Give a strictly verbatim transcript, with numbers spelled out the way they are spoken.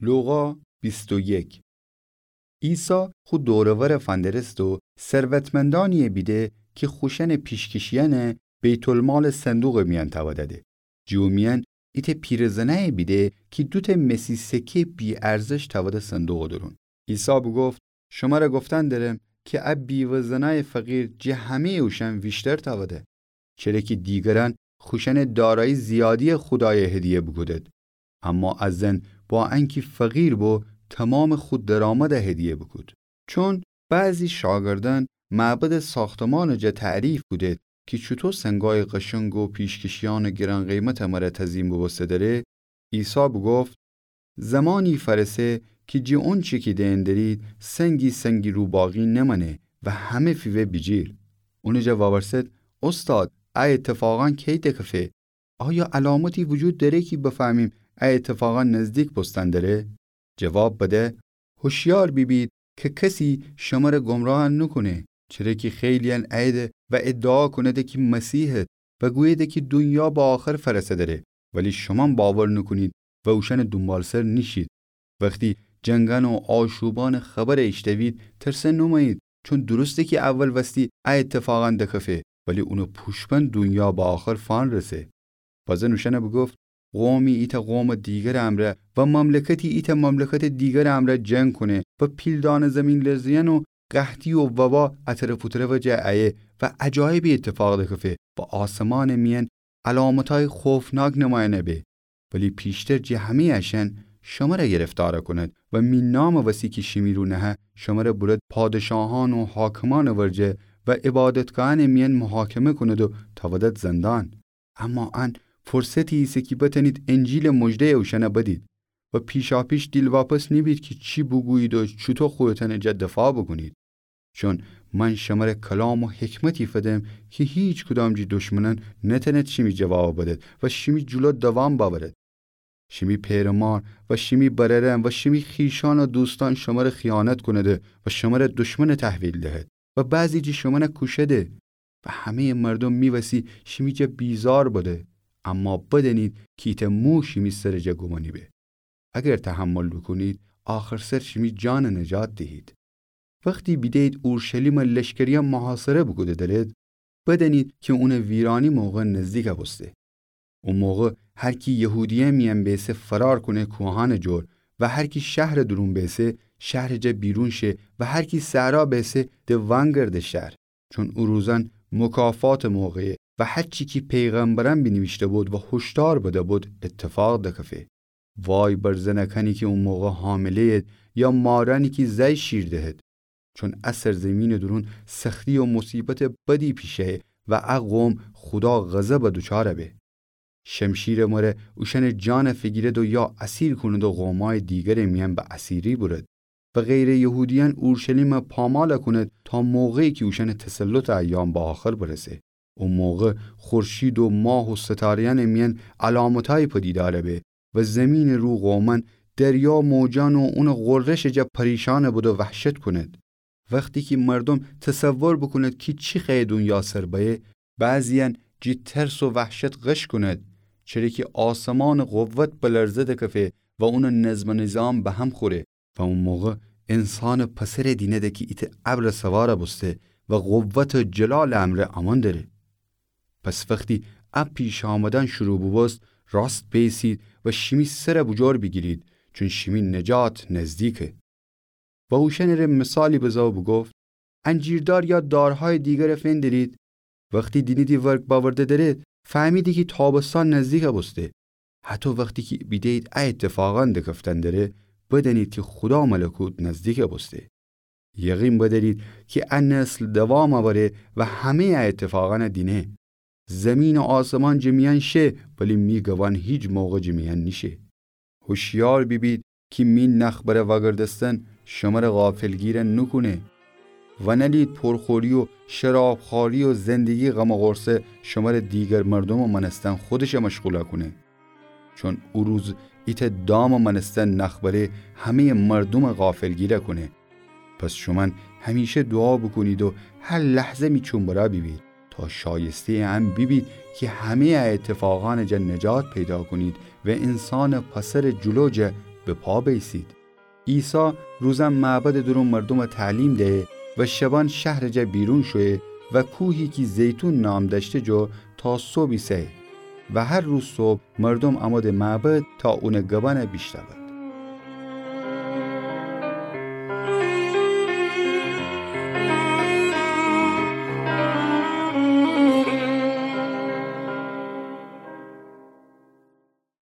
لوقا بیست و یک. عیسی خو دور و ور فندرسته و ثروتمندأنی‌یه بیده کی خوشأنٚ پیشکشیأنٚ بیت‌المالٚ صندوقٚ میأن تأوده‌ده. جٚه او میأن ایتأ پیرزنأیی بیده کی دوتأ مسی سکه‌یٚ بی‌ارزش تأوده صندوقٚ دورون. عیسی بوگفت: شمر گفتن درم کی ا بیوه‌زنأیٚ فقیر جٚه همه‌یٚ اوشأن ویشتر تأوده. چره کی دیگرأن خوشأنٚ دارایی زیادی خودایٚ هدیه بوکودد، اما ا زن با انکی فقیر بو، تومامٚ خو درآمد هدیه بوکود. چون بعضی شاگردأن معبدٚ ساختمانٚ جا تعریف کودد کی چوطو سنگایٚ قشنگ و پیشکشیأنٚ گران‌قیمتٚ مره تزیین بوبوسته دره، عیسی بوگفت: زمانی فأرسه کی جٚه اونچی کی دئن درید، سنگی سنگی رو باقی نمأنه و همه فیوه بیجیر. اونٚ جا وأورسد: اوستاد، ا ایتفاقأن کی دکفه؟ آیا علامتی وجود دأره کی بفهمیم ا ایتفاقأن نزدیک بوستن دره؟ جواب بده: هوشیار بیبید کی کسی شمر گمراه نوکونه، چره کی خیلی‌یأن اییده و ادعا کونده کی مسیحید و گوییده کی دونیا به آخر فأرسه دره، ولی شومأن باور نوکونید و اوشأنٚ دونبالسر نیشید. وختی جنگأن و آشوبأنٚ خبر ایشتوید، ترسه نومأیید، چون درسته کی اول وستی ا ایتفاقأن دکفه، ولی اونٚ پوشبند دونیا به آخر فأنرسه. بزن اوشأن بوگفت: قومی ایتأ قومٚ دیگرٚ امرأ و مملکتی ایتأ مملکتٚ دیگرٚ امرأ جنگ کونه و پیلدانه زیمین‌لرزه‌یأن و قحطی و وبا ا طرف او طرفٚ جا ایه و عجایبی ایتفاق دکفه و آسمانٚ میأن علامتأیی خوفناک نمایأنه به. ولی پیشتر جٚه همه‌یٚ اشأن شمر گرفتار کونید و می نامٚ وسی کی شیمی رو نهه، شمر بورد پادشاهأن و حاکمأنٚ ورجه و عبادتگاهأنٚ میأن محاکمه کونید و تأودد زندان. اما ان فرصتی ایسه کی بتأنید انجیلٚ مژده‌یٚ اوشأن بدید و پیشاپیش دیلواپس نیبید کی چی بوگویید و چوطو خودتأنٚ جا دفاع بوکونید. چون من شمر کلام و حکمتی فدم کی هیکدام جٚه دشمنأن نتأنید شیمی جواب بدد و شیمی جلو دوام بأورد. شیمی پئرمار و شیمی برأرأن و شیمی خویشأن و دوستأن شمر خیانت کونده و شمر دشمن تحویل دهد و بعضی جٚه شومأن کوشده و همه‌یٚ مردوم می وسی شیمی جا بیزار بده. اما بدأنید کی ایتأ مو شیمی سرٚ جا گمأنی به. اگر تحمل بوکونید، آخرسر شیمی جان نجات دیهید. وختی بیده‌یید اورشلیمٚ لشکریأن محاصره بوکوده درد، بدأنید کی اونٚ ویرانی موقع نزدیک بوسته. او موقع هر کی یهودیه میأن بیسه فرار کونه کوهأنٚ جور و هر کی شهرٚ دورون بیسه شهرٚ جا بیرون شه و هر کی صحرا بیسه د وأنگرده شهر. چون او روزأن مکافاتٚ موقعه و هرچی کی پیغمبرأن بینیویشته‌بود و هشدار بده‌بود ایتفاق دکفه. وای بر زنکأنی کی او موقع حامله‌ید یا مارأنی کی زأی شیر دهد. چون ا سرزیمینٚ دورون سختی و مصیبتٚ بدی پیشه‌یه و ا قوم خودا غضب دوچار به. شمشیرٚ مره اوشأنٚ جان فیگیرد و یا اسیر کونید و قومأیٚ دیگرٚ میأن به اسیری بورد و غیرٚ یهودیأن اورشلیم پامال کونید تا موقعی کی اوشأنٚ تسلطٚ ایام به آخر برسه. او موقع خورشید و ماه و ستاره‌یأنٚ میأن علامتأیی پدیدار به و زیمینٚ رو قومأن دریا موجأن و اونٚ غرشٚ جا پریشان بد و وحشت کونید. وختی کی مردوم تصور بوکونید کی چی خوأیه دونیا سر بأیه، بعضی‌یأن جٚه ترس و وحشت غش کونید، چره کی آسمانٚ قوت بلرزه دکفه و اونٚ نظم و نظام به هم خوره. و او موقع انسانٚ پسر دینده کی ایتأ ابرٚ سوار بوسته و قوت و جلالٚ امرأ امأن دره. پس وختی ا پیش آمدن شروع بوبوست، راست بیسید و شیمی سر بوجور بیگیرید، چون شیمی نجات نزدیکه. و اوشأنٚ ره مثالی بزه و بوگفت: انجیردار یا دارهایٚ دیگر فندرید. وختی دینیدی ورگ بأورده دره، فهمیدی کی تابستان نزدیک بوسته. هطو وختی کی بیده‌یید ا ایتفاقأن دکفتن دره، بدأنید کی خودا ملکوت نزدیک بوسته. یقین بدأرید کی ا نسل دوام اوره و همه‌یٚ ا ایتفاقأن دینه. زیمین و آسمان جٚه میأن شه، ولی می گبأن هیچ موقع جٚه میأن نیشه. هوشیار بیبید کی می نخ بره وأگردستن شمر غافلگیر نوکونه. و نألید پرخوری و شرابخواری و زندگی غم و غورصه شمر دیگر مردومٚ مأنستن خودش مشغول کونه. چون او روز ایتأ دامٚ مأنستن نخ بره همه‌یٚ مردوم غافلگیر کونه. پس شومأن همیشه دوعا بوکونید و هر لحظه می چوم برا بیبید، تا شایسته‌یٚ ان بیبید کی همه‌یٚ ا ایتفاقأنٚ جا نجات پیدا کونید و انسانٚ پسرٚ جلو جا به پا بیسید. عیسی روزأن معبدٚ دورون مردومَ تعلیم دیه و شبأن شهرٚ جا بیرون شویه و کوهی کی زیتون نام دأشته جو تا صبح ایسه‌یه و هر روز صبح مردوم اموده معبد تا اونٚ گبأنَ بیشنوه.